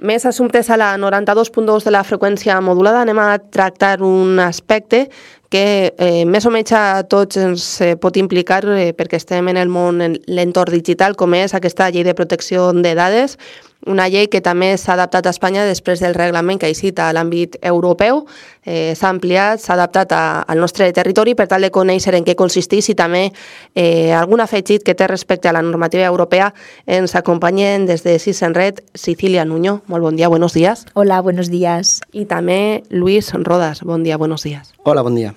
més assumptes a la 92.2 de la freqüència modulada. Anem a tractar un aspecte que més o menys a tots ens pot implicar perquè estem en el món, en l'entorn digital, com és aquesta llei de protecció de dades, una llei que també s'ha adaptat a Espanya després del reglament que ha eixit a l'àmbit europeu. S'ha ampliat, s'ha adaptat al nostre territori per tal de conèixer en què consisteix i també algun afegit que té respecte a la normativa europea. Ens acompanyen des de Sis en Red, Cecilia Nuño. Molt bon dia, buenos días. Hola, buenos días. I també Luis Rodas. Bon dia, buenos días. Hola, bon dia.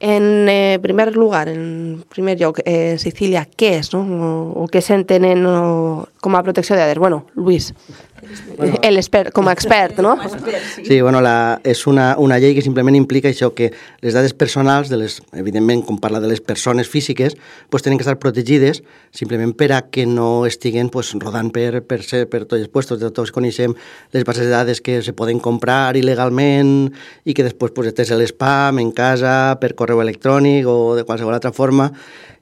En primer lugar, en primer lloc, Cecilia, què és, no? O què s'entenen com a protecció de dades? Bueno, Luis, com a expert, no? Sí, bueno, és una llei que simplement implica això, que les dades personals, evidentment, com parla de les persones físiques, pues, tenen que estar protegides simplement per a que no estiguen pues, rodant per tots els puestos. Tots coneixem les bases de dades que se poden comprar il·legalment i que després pues, estàs a l'espam, en casa, per correu electrònic o de qualsevol altra forma,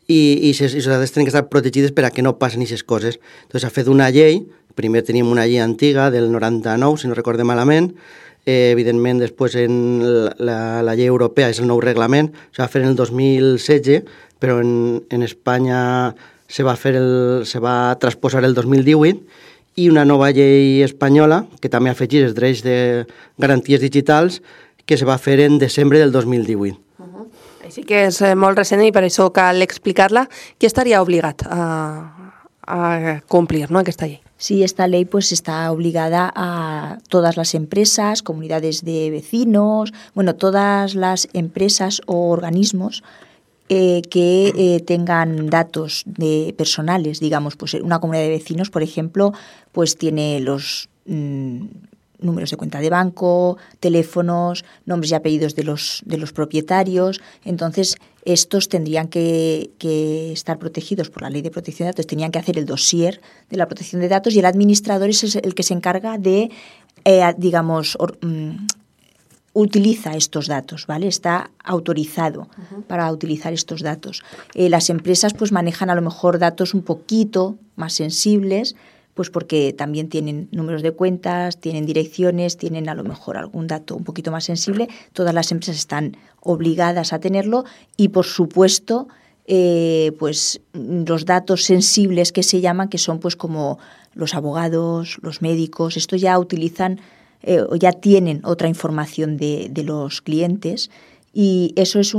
i les dades tenen que estar protegides per a que no passen aquestes coses. Entonces s'ha fet una llei. Primer tenim una llei antiga del 99, si no recorde malament. Evidentment, després en la llei europea és el nou reglament. Se va fer en el 2016, però en Espanya se va transposar el 2018 i una nova llei espanyola que també afegeix els drets de garanties digitals que se va fer en desembre del 2018. Així que és molt recent i per això cal explicar-la. Qui estaria obligat a complir, ¿no?, aquesta llei? Sí, esta ley pues está obligada a todas las empresas, comunidades de vecinos, bueno, todas las empresas o organismos que tengan datos personales, digamos, pues una comunidad de vecinos, por ejemplo, pues tiene los números de cuenta de banco, teléfonos, nombres y apellidos de los propietarios. Entonces, estos tendrían que estar protegidos por la Ley de Protección de Datos, tenían que hacer el dossier de la protección de datos y el administrador es el que se encarga de, utiliza estos datos, ¿vale? Está autorizado para utilizar estos datos. Las empresas pues manejan a lo mejor datos un poquito más sensibles, pues porque también tienen números de cuentas, tienen direcciones, tienen a lo mejor algún dato un poquito más sensible. Todas las empresas están obligadas a tenerlo y, por supuesto, pues los datos sensibles que se llaman, que son pues como los abogados, los médicos, esto ya utilizan o ya tienen otra información de los clientes y eso es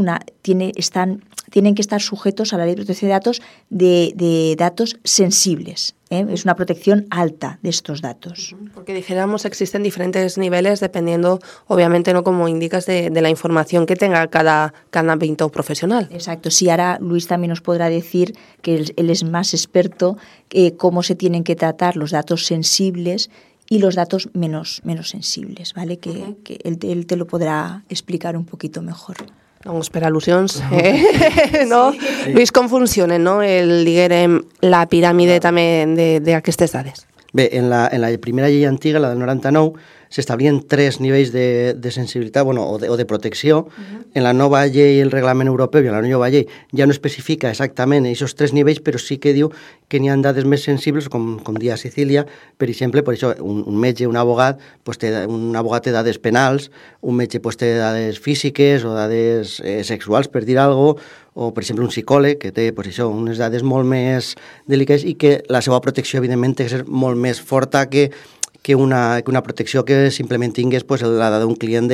tienen que estar sujetos a la Ley de Protección de Datos de datos sensibles. Es una protección alta de estos datos. Porque dijéramos existen diferentes niveles dependiendo, obviamente, no como indicas, de la información que tenga cada ámbito profesional. Exacto. Sí, ahora Luis también nos podrá decir que él es más experto cómo se tienen que tratar los datos sensibles y los datos menos sensibles, ¿vale? Que él te lo podrà explicar un poquito mejor. Doncs per al·lusions, no? Sí. Luis, com funcionen, no? La piràmide també d'aquestes dades? Bé, en la primera llei antiga, la del 99, s'establien 3 nivells de sensibilitat o de protecció. En la nova llei, el reglament europeu i en la nova llei ja no especifica exactament aquests 3 nivells, però sí que diu que n'hi ha dades més sensibles, com dia Cecília, per exemple, per això un metge, un abogat té dades penals, un metge té dades físiques o dades sexuals, per dir alguna cosa, o, per exemple, un psicòleg que té unes dades molt més delicades i que la seva protecció, evidentment, té que ser molt més forta que una protecció que simplement tingués la dada d'un client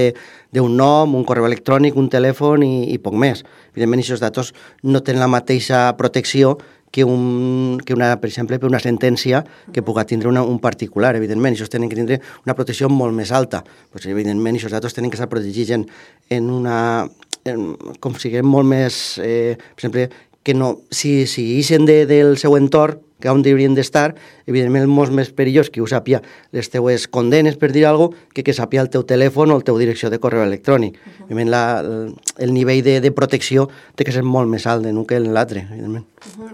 d'un nom, un correu electrònic, un telèfon i poc més. Evidentment, aquests datos no tenen la mateixa protecció que per exemple, una sentència que pugui tindre un particular. Evidentment, aquests tenen que tindre una protecció molt més alta. Evidentment, aquests datos tenen que estar protegits com siguem molt més... per exemple, que no, si ixen del seu entorn, que on haurien d'estar, evidentment és molt més perillós que ho sàpia les teues condenes, per dir alguna cosa, que sàpia el teu telèfon o la teva direcció de correu electrònic. El nivell de protecció té que ser molt més alt d'un que l'altre, evidentment.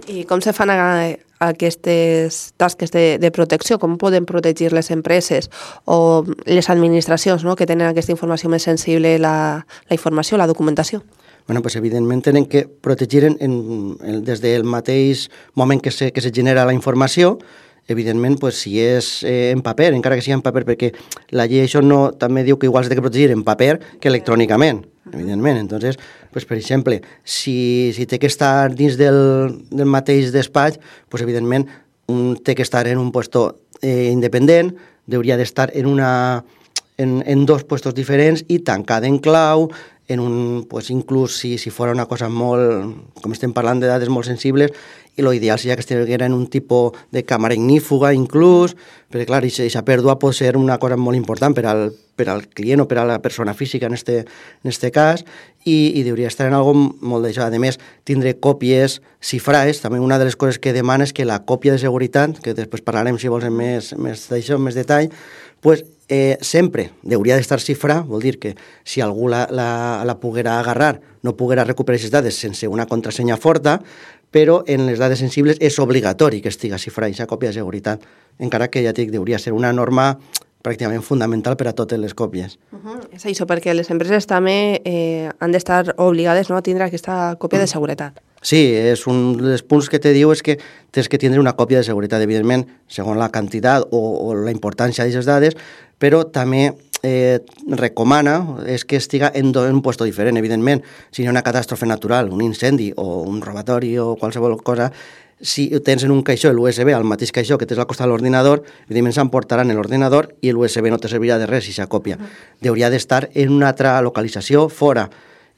I com se fan aquestes tasques de protecció? Com poden protegir les empreses o les administracions, no?, que tenen aquesta informació més sensible, la informació, la documentació? Bueno, pues evidentment tenen que protegir des del mateix moment que se genera la informació evidentment, pues, si és en paper, encara que sigui en paper, perquè la llei això no, també diu que igual s'ha de protegir en paper que electrònicament, evidentment. Entonces, pues, per exemple, si té que estar dins del mateix despatx, pues, evidentment, té que estar en un puesto independent, hauria d'estar en dos puestos diferents i tancat en clau, pues, inclús si fos una cosa molt, com estem parlant de dades molt sensibles, i l'ideal seria que estiguera en un tipus de càmera ignífuga inclús, perquè clar, aquesta pèrdua pot ser una cosa molt important per al client o per a la persona física en este cas, i hauria d'estar en algo molt d'això. A més, tindre còpies cifrades, també una de les coses que demana és que la còpia de seguretat, que després parlarem si vols en més d'això, en més detall, pues, sempre hauria d'estar xifrada, vol dir que si algú la poguera agarrar, no poguera recuperar aquestes dades sense una contrasenya forta, però en les dades sensibles és obligatori que estiga xifrada aquesta còpia de seguretat, encara que ja dic, hauria ser una norma pràcticament fundamental per a totes les còpies. És això, perquè les empreses també han d'estar obligades, no, a tindre aquesta còpia de seguretat. Sí, és un dels punts que te diu és que tens que tindre una còpia de seguretat, evidentment, segons la quantitat o la importància d'aquestes dades, però també recomana és que estiga en un puesto diferent, evidentment. Si hi ha una catàstrofe natural, un incendi o un robatori o qualsevol cosa, si tens en un caixó l'USB, al mateix caixó que tens al costat de l'ordinador, evidentment s'emportaran l'ordinador i l'USB no te servirà de res si s'ha còpia. Hauria d'estar en una altra localització fora,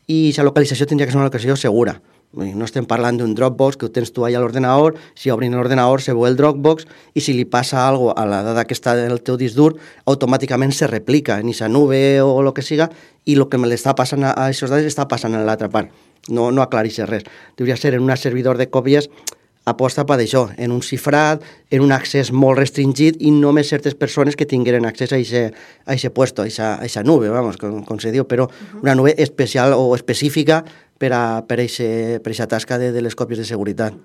i aquesta localització tindria que ser una localització segura. No estem parlant d'un Dropbox que ho tens tu allà a l'ordenador, si obrin l'ordenador se veu el Dropbox i si li passa alguna cosa a la dada que està en el teu disc dur, automàticament se replica en aquesta nube o el que siga, i el que me l'està passant a aquestes dades està passant a l'altra part. No aclareix res. Hauria ser en un servidor de còpies aposta per això, en un xifrat, en un accés molt restringit i només certes persones que tingueren accés a aquest puesto, a aquesta nube, vamos, com se diu, però una nube especial o específica per a aquesta tasca de les còpies de seguretat.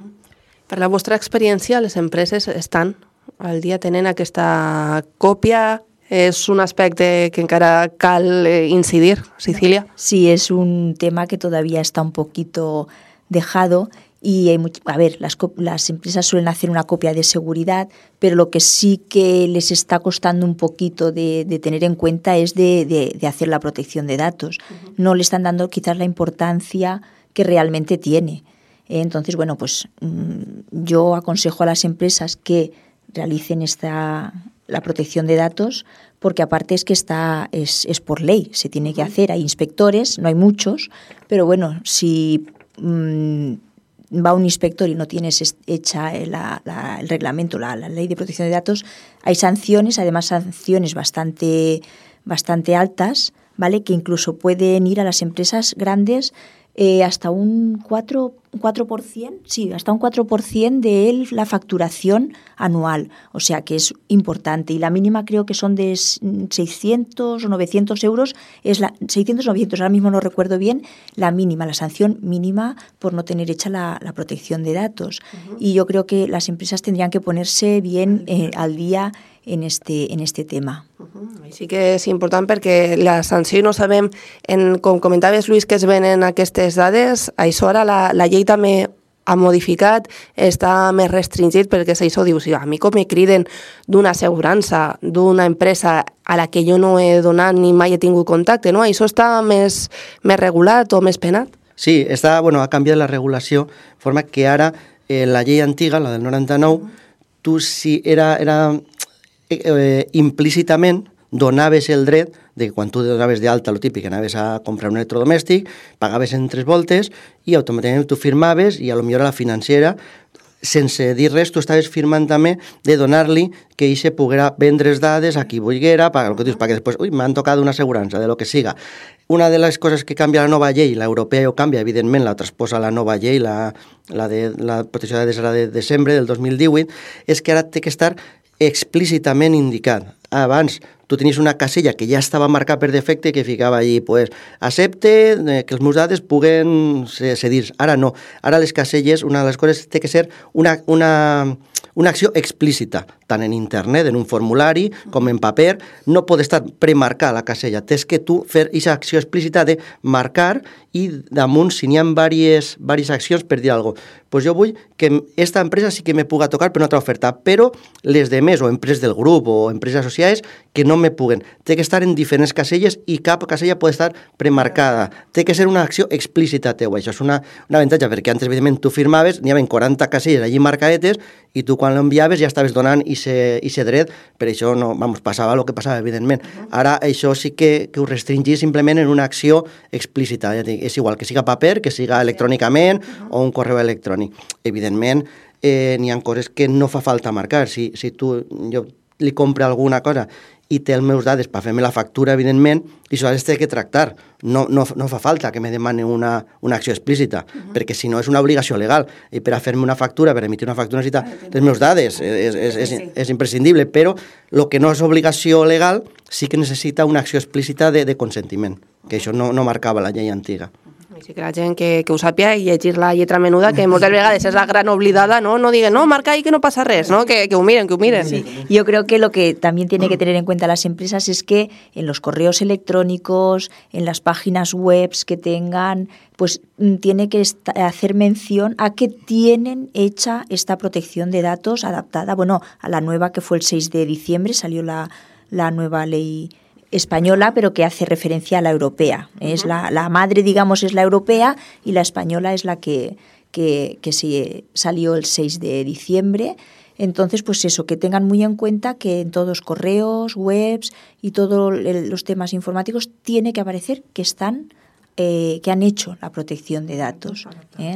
Per la vostra experiència, les empreses estan al dia tenint aquesta còpia. És un aspecte que encara cal incidir, Cecilia. Sí, es un tema que todavía está un poquito dejado. Y las empresas suelen hacer una copia de seguridad, pero lo que sí que les está costando un poquito de tener en cuenta es de hacer la protección de datos. No le están dando quizás la importancia que realmente tiene. Entonces, bueno, pues yo aconsejo a las empresas que realicen la protección de datos, porque aparte es que es por ley, se tiene que hacer. Hay inspectores, no hay muchos, pero bueno, si va un inspector y no tienes hecha el reglamento, la ley de protección de datos, hay sanciones, además sanciones bastante altas, ¿vale? Que incluso pueden ir a las empresas grandes hasta un 4%, sí, hasta un 4% de la facturación anual, o sea que es importante, y la mínima creo que son de 600 o 900 euros, 600 o 900, ahora mismo no recuerdo bien, la mínima, la sanción mínima por no tener hecha la protección de datos. Y yo creo que las empresas tendrían que ponerse bien al día en este tema. Sí que és important perquè la sanció no sabem, com comentaves, Lluís, que es venen aquestes dades, això ara la llei també ha modificat, està més restringit perquè això diu, si a mi com me criden d'una assegurança, d'una empresa a la que jo no he donat ni mai he tingut contacte, no? Això està més regulat o més penat? Sí, ha canviat la regulació, de forma que ara la llei antiga, la del 99, tu si era implícitament donaves el dret de que quan tu donaves d'alta, el típic, anaves a comprar un electrodomèstic, pagaves en 3 voltes i automàticament tu firmaves i potser a la financera, sense dir res, tu estaves firmant també de donar-li que ell se poguera vendre les dades a qui volguera, el que dius, perquè després, m'han tocat una assegurança, de lo que siga. Una de les coses que canvia la nova llei, l'europea ja ho canvia, evidentment, la transposa la nova llei, la de la protecció de dades de desembre del 2018, és que ara té que estar explícitament indicat. Abans tu tenies una casella que ja estava marcada per defecte que ficava allí, accepte que els meus dades puguen cedir. Ara no. Ara les caselles, una de les coses té que ser un una acció explícita, tant en internet, en un formulari, com en paper, no pot estar premarcar la casella. Tens que tu fer aquesta acció explícita de marcar i damunt, si n'hi ha diverses accions per dir alguna cosa. Pues jo vull que esta empresa sí que me puga tocar per una altra oferta, però les demés, o empreses del grup, o empreses associades, que no me puguen. Té que estar en diferents caselles i cap casella pot estar premarcada. Té que ser una acció explícita teua. Això és un avantatge, perquè antes, evidentment, tu firmaves, n'hi havia 40 caselles allí marcadetes, i tu quan l'enviaves ja estaves donant ese dret, per això no, passava el que passava, evidentment. Ara això sí que ho restringís simplement en una acció explícita. Ja dic, és igual que siga paper, que siga electrònicament o un correu electrònic. Evidentment, n'hi ha coses que no fa falta marcar. Si jo li compro alguna cosa i té els meus dades per fer-me la factura, evidentment, i això es té que tractar. No fa falta que me demani una acció explícita, perquè si no és una obligació legal. I per a fer-me una factura, per emitir una factura, necessita les meus dades. És imprescindible, però el que no és obligació legal sí que necessita una acció explícita de consentiment, que això no marcava la llei antiga. Sí que la gent que ho sàpia i llegir la lletra menuda, que moltes vegades és la gran oblidada, no diguen, no, marca ahí que no pasa res, ¿no? Que ho miren. Sí. Yo creo que lo que también tiene que tener en cuenta las empresas es que en los correos electrónicos, en las páginas web que tengan, pues tiene que hacer mención a que tienen hecha esta protección de datos adaptada, bueno, a la nueva que fue el 6 de diciembre, salió la nueva ley española, pero que hace referencia a la europea. Es la madre, digamos, es la europea y la española es la que sí salió el 6 de diciembre. Entonces, pues eso, que tengan muy en cuenta que en todos correos, webs y todos los temas informáticos tiene que aparecer que que han hecho la protección de datos,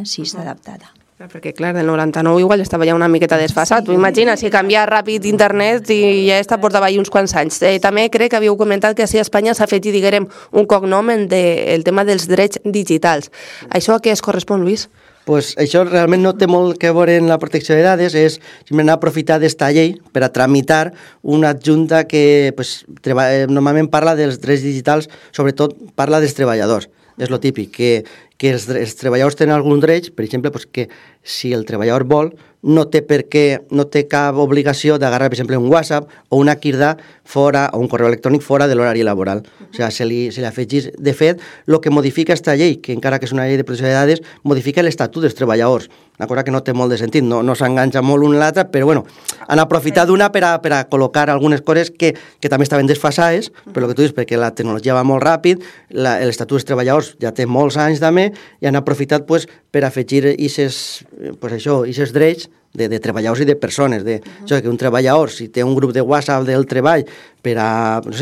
si está adaptada. Perquè, clar, del 99 igual estava ja una miqueta desfasat. Tu imagina, si canvia ràpid internet i ja està portava ahir uns quants anys. També crec que havíeu comentat que a Espanya s'ha fet, diguem, un cognom el tema dels drets digitals. Això a què es correspon, Lluís? Pues això realment no té molt que veure en la protecció de dades, és simplement aprofitar d'esta llei per a tramitar una adjunta que normalment parla dels drets digitals, sobretot parla dels treballadors. És lo típic, que els treballadors tenen algun dret, per exemple, que si el treballador vol, no té cap obligació d'agarrar, per exemple, un WhatsApp o una quirda fora, o un correu electrònic fora de l'horari laboral. O sigui, se li afegís. De fet, el que modifica aquesta llei, que encara que és una llei de protecció de dades, modifica l'estatut dels treballadors. Una cosa que no té molt de sentit, no s'enganxa molt un l'altre, però bueno, han aprofitat d'una per a col·locar algunes coses que també estaven desfasades, però el que tu dius, perquè la tecnologia va molt ràpid, l'estatut dels treballadors ja té molts anys també, i han aprofitat per afegir aquests drets de treballadors i de persones. Que un treballador, si té un grup de WhatsApp del treball per a, no sé,